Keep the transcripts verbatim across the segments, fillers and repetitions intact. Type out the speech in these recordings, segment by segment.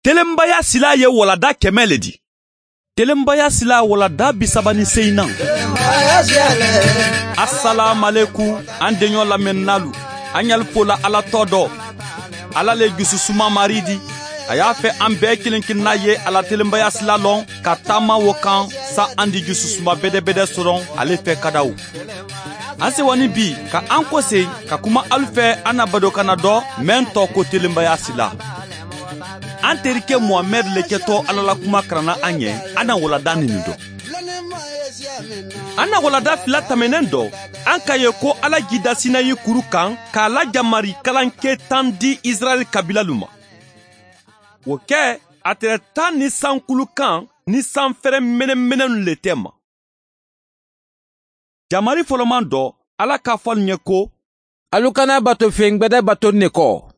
Telenbaya silaa ye walada kɛmɛ le di. Telenbaya silaa walada bisaba ni seyinan. Asalaamaleku, an deɲɔ lamɛnninaalu, an ɲali fola ala tɔ dɔ. Ala le jususuma mari di. A y'a fɛ an bɛɛ kelen kelenna ye a la telenbaya sila lɔn ka taama wo kan. Sa an di jususuma bedebede soron ale fɛ kadaw. An sewa ni bi ka an kose ka kuma alu fɛ an na badokana dɔ, mɛn tɔ ko telenbaya sila. An terikɛ muhamɛd le kɛtɔ ala la kuma karanna an ɲɛ. An na walada nini dɔ. An na walada fila tɛmɛnen dɔ, an ka ye ko ala ji da sinayi kuru kan k'a la jamari kalankɛ tan di israɛl kabilalu ma. Wo kɛ, a tɛrɛ tan ni sankulu kan ni sanfɛrɛ menemenenu le tɛ ma. Jamari fɔlɔman dɔ, ala ka fɔ alu ɲɛ ko, alu kana bato feŋ gbɛdɛ bato ne kɔ.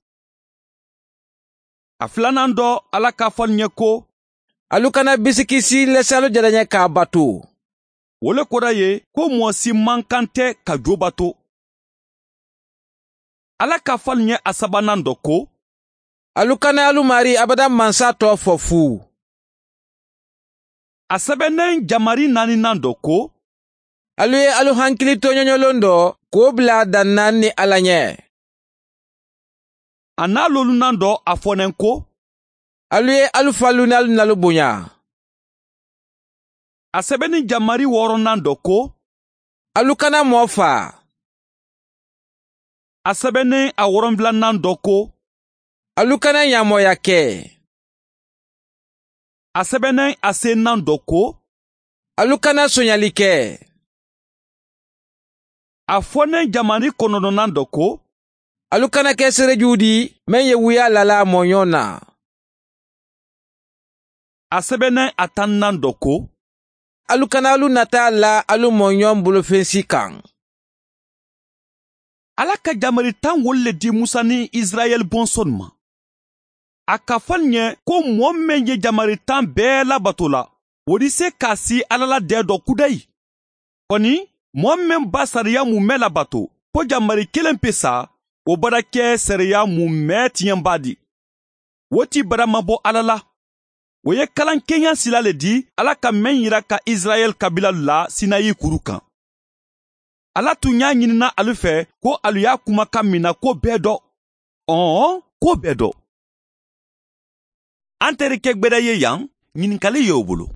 A filanan dɔ, ala ka fɔ alu ɲɛ ko, alu kana bisikisi lɛsɛ alu jalaɲɛ k'a bato. Wo le koda ye ko mɔɔ si man kan tɛ ka jo bato. Ala ka fɔ alu ɲɛ a sabanan dɔ ko, alu kana alu mari abada mansa tɔ fɔ fu. A sɛbɛnnen jamari naaninan dɔ ko, alu ye alu hankili tɔɲɔɲɔlon dɔ k'o bila dan naani ni ala ɲɛ. A n'a lolunan dɔ a fɔ n ko, alu ye alu fa lunalu nalu bonya. A sɛbɛnni jamari wɔɔrɔnan dɔ ko, alu kana mɔɔ faa. A sɛbɛnnen a wɔrɔnfilanan dɔ ko, alu kana ɲaamɔya kɛ. A sɛbɛnnen a senan dɔ ko, alu kana sonyali kɛ. A fɔnnen jamari kɔnɔntɔnnan dɔ ko, alu kana kɛ serejuw di, meŋ ye wuyaa lala mɔɲɔ na. A sɛbɛnnen a tannan dɔ ko, alu kana alu nataa la alu mɔɲɔ bolofensi kan. Ala ka jamari tan wolu le di musa ni israɛl bɔnsɔnnu ma. A ka fɔ n ye ko mɔɔ meŋ ye jamari tan bɛɛ labato la, wo di se k'a si ala la dɛɛ dɔ kudayi. Kɔni, mɔɔ meŋ ba sariya mumɛ labato, ko jamari kelen pe sa, wo bara kɛ sariya mumɛ tiɲɛbaa di. Wo ti bara mabɔ ala la. Wo ye kalankeɲa sila le di ala ka meŋ yira ka israɛl kabilalu la sinayi kuru kan. Ala tun y'a ɲinina alu fɛ ko alu y'a kumakan minɛ ko bɛɛ dɔ. Ɔɔ, ko bɛɛ dɔ. An terikɛ gbɛdɛ ye yan, ɲininkali ye o bolo.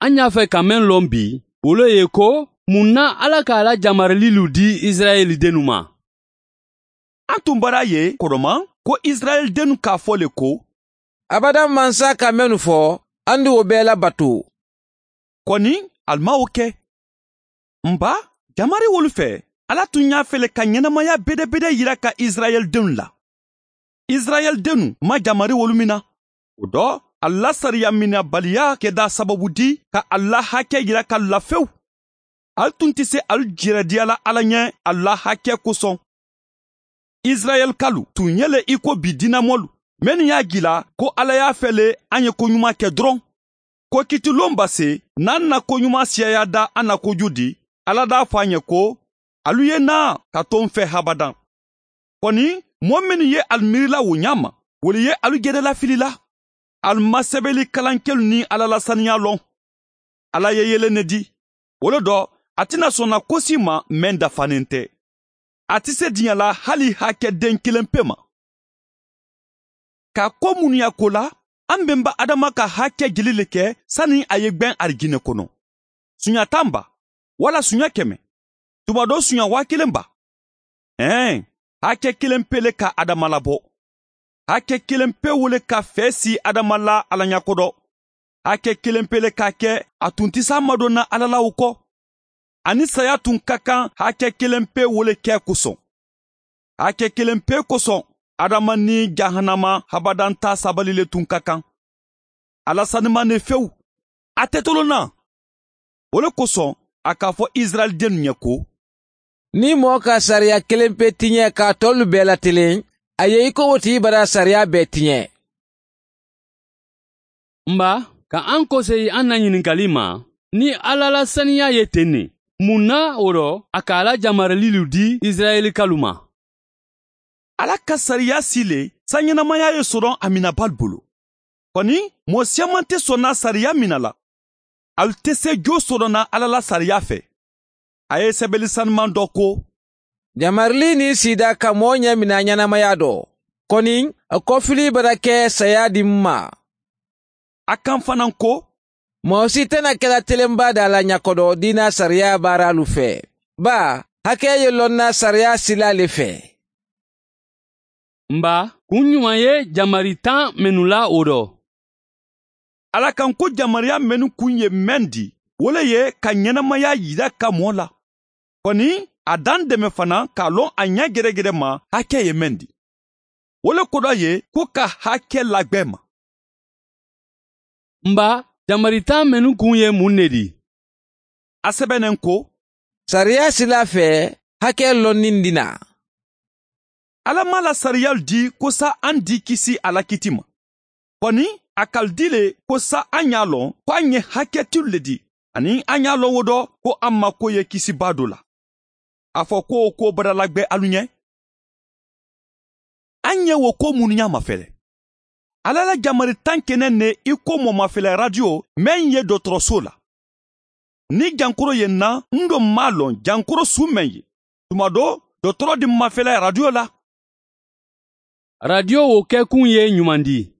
An y'a fɛ ka meŋ lɔn bi, wo le ye ko mun na ala k'a la jamarililu di israɛl dennu ma? An tun bara ye kɔrɔma ko israɛl dennu k'a fɔ le ko, abada mansa ka mennu fɔ, an di wo bɛɛ labato. Kɔni, ali ma wo kɛ. N ba, jamari wolu fɛ, ala tun y'a fɛ le ka ɲɛnamaya bedebede yira ka israɛl dennu la. Israɛl dennu ma jamari wolu mina. O dɔ, ala la sariya minɛbaliya kɛda sababu di ka ala la hakɛ yira ka lafewu. Ali tun tɛ se ali jerɛdiya la ala ɲɛ ala la hakɛ kosɔn. Israɛlkalu tun ye le i ko bi diinamɔlu, mennu y'a jila ko ala y'a fɛ le an ye koɲuman kɛ dɔrɔn. Ko kitilon base n'an na koɲuman siyaya da an na koju di, ala d'a fɔ a ɲɛ ko, alu ye naa ka to n fɛ habadan. Kɔni, mɔɔ mennu ye alu miirila wo ɲaa ma, wolu ye alu jedalafilila. Alu ma sɛbɛli kalankɛlu ni ala la saniya lɔn. Ala ye yelen ne di. Wo le dɔ, a tɛna sɔn na ko si ma meŋ dafanen tɛ. A tɛ se diɲɛ la hali hakɛ den kelen pe ma. Ka ko munuya ko la, an benba adama ka hakɛ jeli le kɛ sani a ye gbɛn arijinɛ kɔnɔ. Suɲa tan ba, wala suɲa kɛmɛ? Tuma dɔ suɲa waa kelen ba? Ɛɛ, hakɛ kelen pe le ka adama labɔ. Hakɛ kelen pe wo le ka fɛɛ si adama la ala ɲa kodɔ. Hakɛ kelen pe le k'a kɛ a tun tɛ se a madonna ala la o kɔ. Ani saya tun ka kan hakɛ kelen pe wo le kɛ kosɔn. Hakɛ kelen pe kosɔn, adama ni jahanama habadan ta sabali le tun ka kan. Ala saniman ne fewu, a tɛ tolonna. Wo le kosɔn, a k'a fɔ israɛl dennu ye ko, ni mɔɔ ka sariya kelen pe tiɲɛ k'a tɔlu bɛɛ latelen, a ye i ko wo ti bara sariya bɛɛ tiɲɛ. N ba, ka an koseyi an na ɲininkali ma, ni ala la saniya ye ten ne, mun na wo rɔ a k'a la jamarililu di israɛlikalu ma? Ala ka sariya si le saañenamaya ye soron a minabaalu bulu. Koni moo siyaman te sonna sariya mina la. Ali te see joo soron na alla la sariya fee. A ye sebeli saniman do ko, jamarili niŋ siida ka moo ñemina ñanamaya do, koni a kofili bara ke saya di m ma. A kaŋ fanaŋ ko, moo si te na kela telemba daa la ñakodo diina sariya baaraalu fee, baa hake ye loŋ na sariya sila le fee. Mba, kuŋ ñuman ye jamari taŋ mennu la wo do? Alla kaŋ ko jamariya mennu kuŋ ye meŋ di, wo le ye ka ñenamaya yira ka moo la. Koni a daŋ deme fanaŋ ka a loŋ a ña geregerema hake ye meŋ di. Wo le kodo ye ko ka hake lagbee ma. Mba, jamari taŋ mennu kuŋ ye muŋ ne di? A sebeneŋ ko, sariya sila fee hake loŋ niŋ di na. Alla maŋ a la sariyalu di ko saa aŋ di kisi a la kiti ma. Koni a ka ali di le ko saa aŋ ye a loŋ ko aŋ ye hake tilu le di, aniŋ aŋ ye a loŋ wo do ko aŋ ma ko ye kisi baa do la. A fo ko wo ko badalagbee alu ñe. Aŋ ye wo ko munnu ñaa mafele? Alla la jamari taŋ ke neŋ ne i ko moo mafele radiyo meŋ ye dotoroso la. Niŋ jankoro ye n na n do m maŋ a loŋ jankoro suŋ meŋ ye, tuma do dotoro di mafele radiyo la. Radiyo wo ke kuŋ ye ñumandi?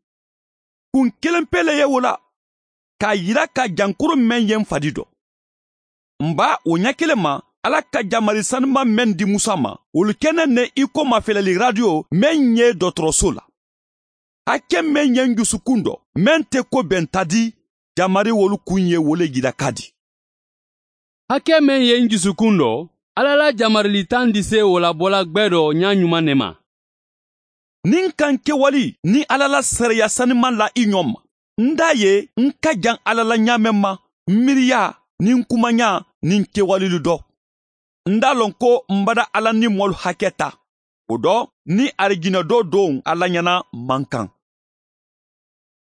Kuŋ keleŋ pee le ye wo la, ka a yira ka jankoro meŋ ye n fadi do. Mba, wo ña keleŋ ma alla ka jamari sanimaŋ meŋ di musa ma, wolu ke neŋ ne i ko mafelali radiyo meŋ ye dotoroso la. Hake meŋ ye n jusukuŋ do meŋ te ko benta di, jamari wolu kuŋ ye wo le yira ka di. Hake meŋ ye n jusukuŋ do, alla la jamarili taŋ di se wo la bola gbeedoo ñaañumaŋ ne ma. Niŋ ka n kewali niŋ alla la sariya sanimaŋ la i ñoŋ ma, n daa ye n ka jaŋ alla la ñaameŋ ma, n miiriyaa niŋ n kumañaa niŋ n kewalilu do. N daa loŋ ko m bada alla niŋ moolu hake taa, wo do niŋ arijina doo dooŋ alla ñana maŋ kaŋ.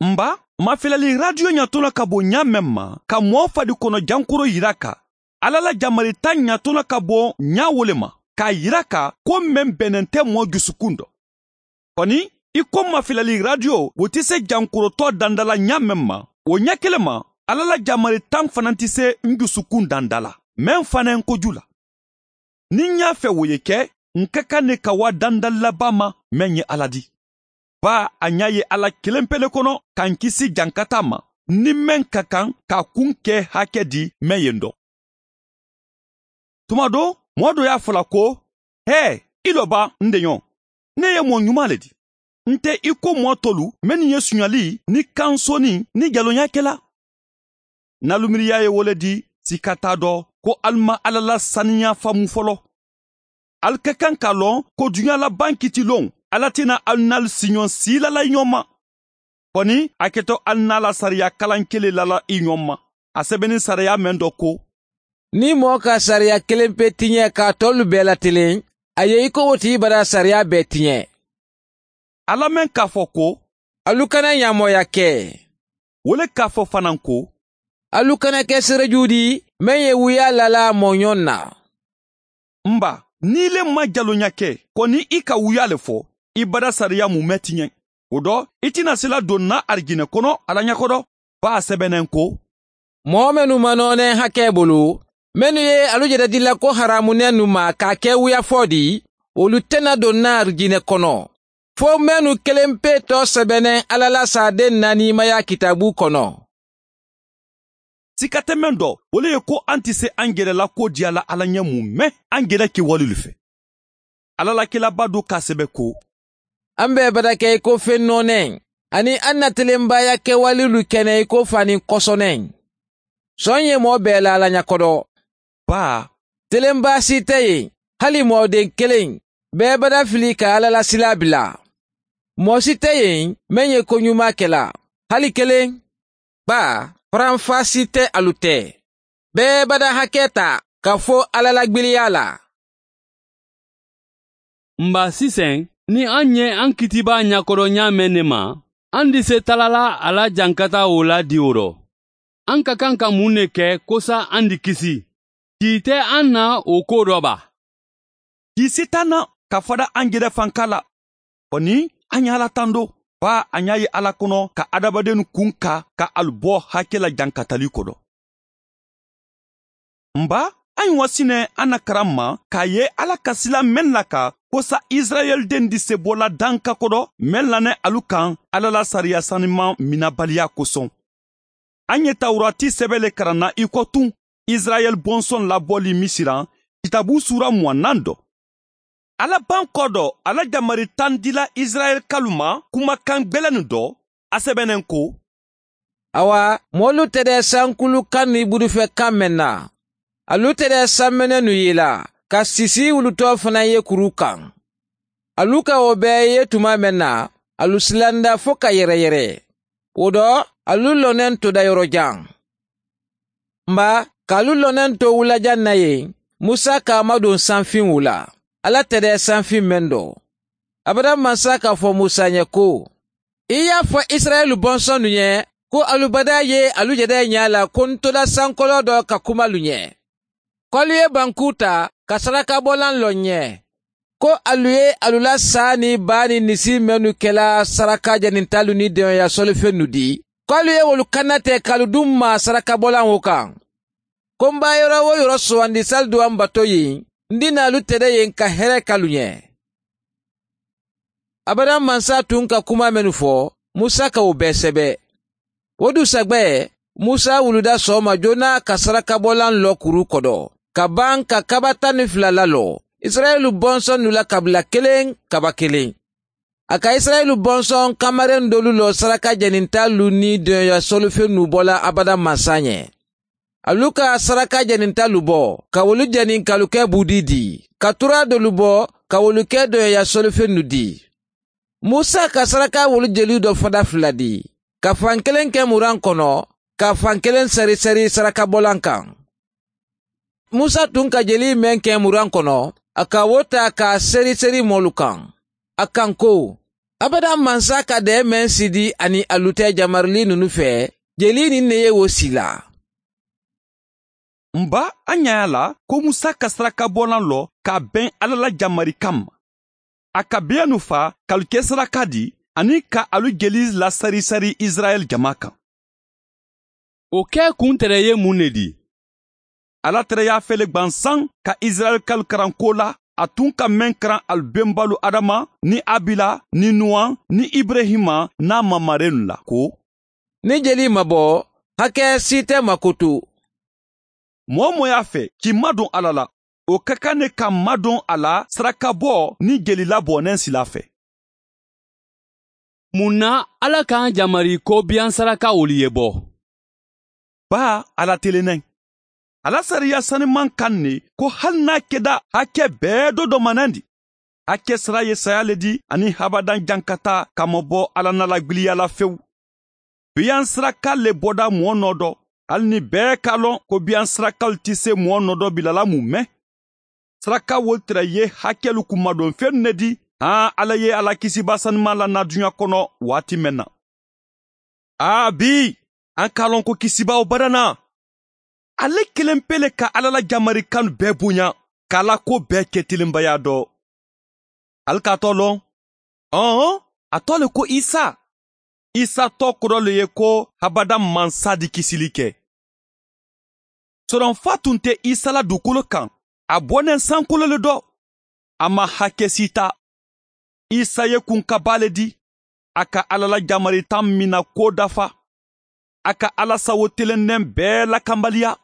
Mba, mafelali radiyo ñato la ka bo ñaameŋ ma ka moo fadi kono jankoro yira ka, alla la jamari taŋ ñato la ka bo ñaa wo le ma ka a yira ka ko meŋ benente moo jusukuŋ do. Koni i ko mafelali radiyo wo ti se jankorotoo dandala ñaameŋ ma, wo ña kele ma alla la jamari taŋ fanaŋ ti se n jusukuŋ dandala meŋ fanaŋ ko ju la. Niŋ ñaa fee wo ye ke, n ka kaŋ ne ka waa dandali la baa ma meŋ ye alla di. Baa a ñaa ye alla kelempe le kono ka n kisi jankataa ma, niŋ meŋ ka kaŋ ka a kuŋ ke hake di meŋ ye n do. Tuma do moo do ye a fo la ko, hee, i lo baa n deñoo, ne ye moo ñumaa le di. N te i ko moo tolu mennu ye suñali niŋ kaŋ soni niŋ jaloñaa ke la. N na lumiriyaa ye wo le di, sika taa do, ko ali maŋ alla la saniyaa faamu folo. Ali ka kaŋ ka a loŋ ko duñaa la baŋ kitiloŋ, alla ti na ali naalu siñoŋ siila la i ñoŋ ma. Koni a keto ali naa la sariya kalaŋ kele la la i ñoŋ ma, a sebeni sariya meŋ do ko, niŋ moo ka sariya kelempe tiñe ka a tolu bee la teleŋ, a ye i ko wo ti i bada sariya bee tiñe. Alla meŋ ka a fo ko, alu kana ñaamooya ke, wo le ka a fo fanaŋ ko, alu kana ke serejuudi meŋ ye wuyaa lala mooñoŋ na. Mba, niŋ i le maŋ jaloña ke, koni i ka wuyaa le fo, i bada sariya mu mee ti ñeŋ. Wo do i ti na sila doŋ na arijinee kono alla ñakodo, baa a sebeneŋ ko, moo mennu ma nooneŋ hakee bulu, mennu ye alu jedadila ko haraamunennu ma ka a ke wuyafoo di, wolu te na doŋ na arijinee kono, fo mennu kelempe too sebeneŋ alla la saadeŋ naaniimaya kitaabu kono. Sika te meŋ do, wo le ye ko aŋ ti se aŋ jere la koo diya la alla ñe mu mee aŋ jere kewalilu fee. Alla la kilaabaa do ka a sebe ko, aŋ be bada ke i ko feŋ nooneŋ, aniŋ aŋ na telembaaya kewalilu kene i ko faaniŋ kosoneŋ. Soŋ ye moo bee la alla ñakodo, baa, telembaa si te yen, hali moo deŋ keleŋ, bee bada fili ka alla la silaa bila. Moo si te yen meŋ ye koñumaa ke la, hali keleŋ. Baa, faranfaa si te alu te, bee bada hakee taa ka fo alla la gbiliyaa la. Mba siseŋ, niŋ aŋ ñe aŋ kitibaa ñakodo ñaameŋ ne ma, aŋ di se tala la a la jankataa wo la diwo do. Aŋ ka kaŋ ka muŋ ne ke kosa aŋ di kisi? Kii te aŋ na wo koo do ba? Kii si taa na ka fada aŋ jere fankaa la. Koni A ɲa ala tando, baa a ɲa ye ala kono ka adamadennu kun ka ka alu bo hake la jankatali kodo. N ba, a ɲi wa sine a na karan ma ka ye ala ka sila men la ka kosa isirayeli den di sebo la danka kodo men la ne alu kan ala la sariya saniman minabaliya koson. A ɲe tawurati sebe le karan na i ko tun, isirayeli bonson laboli misiran, kitabu sura muwanan do. Ala ban ko do, ala jamari tan dila isirayeli kalu ma kumakan gbelennu do. A sebenen ko: Awa, moolu tede sankulu kannu i budufe kan men na, alu tede sammenenu yi la, ka sisi wulutoo fanaŋ ye kuru kan. Alu ka wo bee ye tuma men na, alu silanda fo ka yereyere. Wo do, alu lonen toda yoro jaŋ. N ba, ka alu lonen to wula jaŋ na ye, musa ka a maduŋ sanfiŋ wula, ala tede sanfiŋ men do. Abada mansa ka fo musa ɲe ko: I ye a fo isirayeli bonsonnu ɲe ko alu badaa ye alu jede ɲaa la ko n toda sankoloo do ka kuma alu ɲe, ko alu ye bankuu taa ka sarakabolaŋ loŋ ɲe, ko alu ye alu la saa niŋ baa niŋ nisi mennu kela saraka janintaalu niŋ deŋoya solifennu dii, ko alu ye wolu kannate ka alu duŋ maa sarakabolaŋo kaŋ. Ko m be a yoro-wo-yoro sowandi saliduwa m bato yin, n dina alu tede yen ka here ke alu ɲe. Abada mansa tun ka kuma mennu fo, musa ka wo bee sebe. Wo du sagbe, musa wuluda sooma joona ka sarakabolaŋ lo kuru kodo, ka baŋ ka kaba tan ni fula lalo isirayeli bonsonnu la kabila keleŋ kaba keleŋ. A ka isirayeli bonsoŋ kamareŋ doolu lo saraka janintaalu niŋ deŋoya solifennu bola abada mansa ɲe. Alu ka saraka janintaalu bo ka wolu jani ka alu ke buudii dii, ka turaa doolu bo ka wolu ke deŋoya solifennu dii. Musa ka saraka wolu jeli do fada fula dii, ka fankeleŋ ke muraŋ kono, ka fankeleŋ seri seri sarakabolaŋ kaŋ. Musa tun ka jelii meŋ ke muraŋ kono, a ka wo taa ka a seri seri moolu kaŋ. A kaŋ ko: Abada mansa ka dee meŋ sidi aniŋ a luta jamarili nunu fee, jelii niŋ ne ye wo sila. N ba, a ɲa ye a la ko musa ka sarakabolaŋ lo ka a beŋ alla la jamari kamma. A ka biyanu fa ka alu ke saraka di, aniŋ ka alu jeli lasari-sari isirayila jama kaŋ. Wo ke kuntere ye muŋ ne di? Alla tara ye a fele gbansaŋ ka isirayila kalu karanko la, a tun ka meŋ karan alu bembaalu adama niŋ abila niŋ nuwan niŋ iburehima niŋ a mamarennu la ko: Niŋ jelii ma bo, hake si te makutu. Moo-wo-moo ye a fe k'i maduŋ alla la, wo ka kaŋ ne ka maduŋ a la sarakaboo niŋ jelilaboo neŋ sila fe. Muŋ na alla ka jamariko biyaŋ sarakawolu ye bo? Baa, a la teleneŋ. A la sariya sanimaŋ kaŋ ne ko hali niŋ a keda hake bee do domanandi, hake sara ye saya le di aniŋ habadaŋ jankata ka ma bo alla na lagbiliya la fewu. Biyaŋ siraka le boda moo noo do, hali niŋ bee ka a loŋ ko biyaŋ sirakalu ti se moo noo do bila la mume. Sarakawolu tara ye hakelu kunmadonfennu ne di, haa alla ye a la kisibaa sanimaŋ la naa duɲa kono waati meŋ na. Aa bii, a ka a loŋ ko kisibaa wo badana. Ale keleŋ pe le ka alla la jamari kanu bee buɲa, ka a la kuwo bee ke tilinbaya do. Ali ka a too loŋ? Ɔɔn, a too le ko isa. Isa too kodo le ye ko habadaŋ mansa di kisili ke. Soronfa tun te isa la dukulu kaŋ, a boneŋ sankolo le do. A maŋ hake siita. Isa ye kunkabaa le di. A ka alla la jamari taŋ mina kuwo dafa. A ka alla sawo telendeŋ bee lakanbaliya.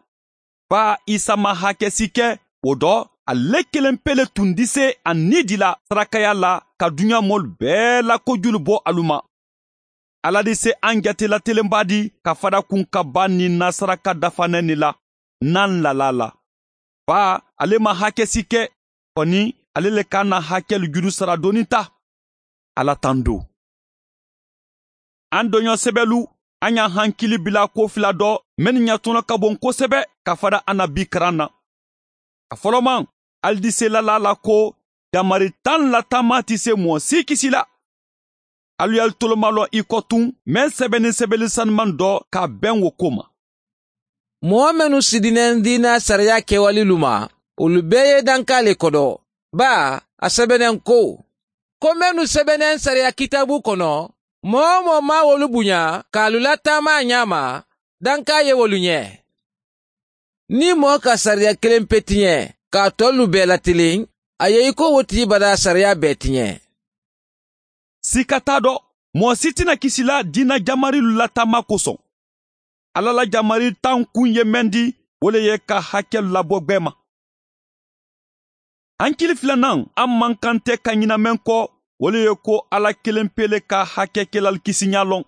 Baa isa maŋ hake si ke. Wo do, ale keleŋ pe le tun dise a niidila sarakaya la ka duɲa moolu bee la kojulu bo alu ma. Alla di se aŋ jate la telenbaa di ka fada kunkabaa niŋ na saraka dafaneŋ ne la naŋ lala la. Baa, ale maŋ hake si ke. Koni, ale le ka a na hakelu juru sara doonin ta. Alla tando. Aŋ doɲo sebelu, a ɲa hankili bila ko fila do mennu ɲatono ka boŋ kosebe ka fada a na bii karaŋ na. A folomaŋ, ali di se lala la ko jamari taŋ la taama ti se moo si kisi la. Alu ye alu tolomaloŋ i ko tuŋ meŋ sebenin sebeli sanimaŋ do ka a beŋ wo ko ma. Moo mennu sidineŋ diina sariya kewalilu ma, wolu bee ye dankaa le kodo. Baa, a sebeneŋ ko: ko mennu sebeneŋ sariya kitaabu kono, moo-wo-moo maŋ wolu buña ka alu lataama a ñaama, dankaa ye wolu ñee. Niŋ moo ka sariya kiliŋ pe tiñe ka a tollu bee latiliŋ, a ye i ko wo ti badaa sariya bee tiñe. Siika taa do, moo si ti na kisi la diina jamarilu la taama kosoŋ. Alla la jamari tankuŋ ye meŋ di, wo le ye ka hakelu labo gbeema. Hankili filanaŋ a mankante ka ñina meŋ ko, wo le ye ko alla kelempe le ka hake kelal kisiña loŋ.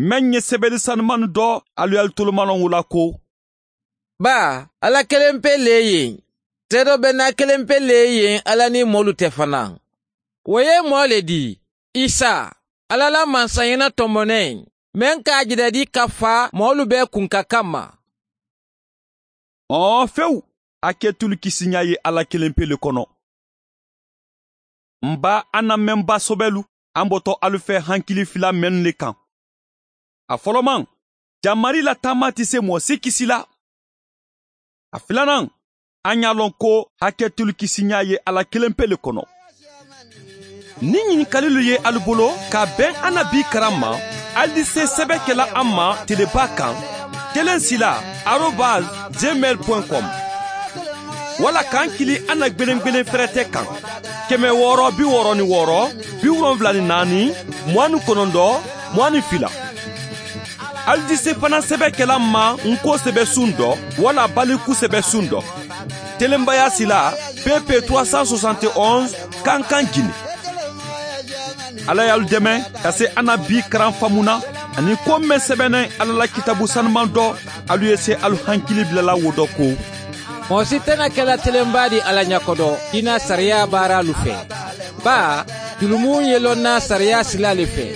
Meŋ ye sebeli sanumannu do, alu ye alu tolumaloŋ wo la ko, baa alla kelempe le ye seedo bennaa kelempe le ye alla niŋ moolu te fanaa. Wo ye moo le dii, isa, alla la mansañina tomoneŋ, meŋ ka a jidadi ka faa moolu bee kunka kamma. Ɔɔ fewu, haketulu kisiña ye alla kelempe le kono. M baa a na meŋ ba sobelu, a mboto alu fee hankili fila mennu le kaŋ. A folomaŋ, jamari la taama ti se moo si kisi la. A filanaŋ, a ñaa loŋ ko haketulu kisiña ye alla kelempe le kono. Niŋ ñinikalilu ye alu bolo ka a beŋ a na bii karaŋ ma, alu di se sebe ke la a ma telebaa kaŋ, keleŋ sila, arobas, gmail point com. Walla ka n kili a na gbeneŋ gbeneŋ ferete kaŋ, keme wooro bi wooro ni wooro, bi wolonwula ni naani, muwaŋ ni konondoo, muwaŋ ni fila. Alu di se fanaŋ sebe ke la n ma n ko sebe suŋ do, walla baliku sebe suŋ do. Telembayaa sila, pepe trois cent soixante et onze, kankaŋ jini. Alla ye alu deme ka se a na bii karaŋ famu na, aniŋ ko meŋ sebeneŋ alla la kitaabu sanumaŋ do, alu ye se alu hankili bila la wo do ko, moo si tana ke la telembaadi alla ñakodo diina sariyaa baaraalu fee, baa julumu ye loŋ na sariyaa sila le fee.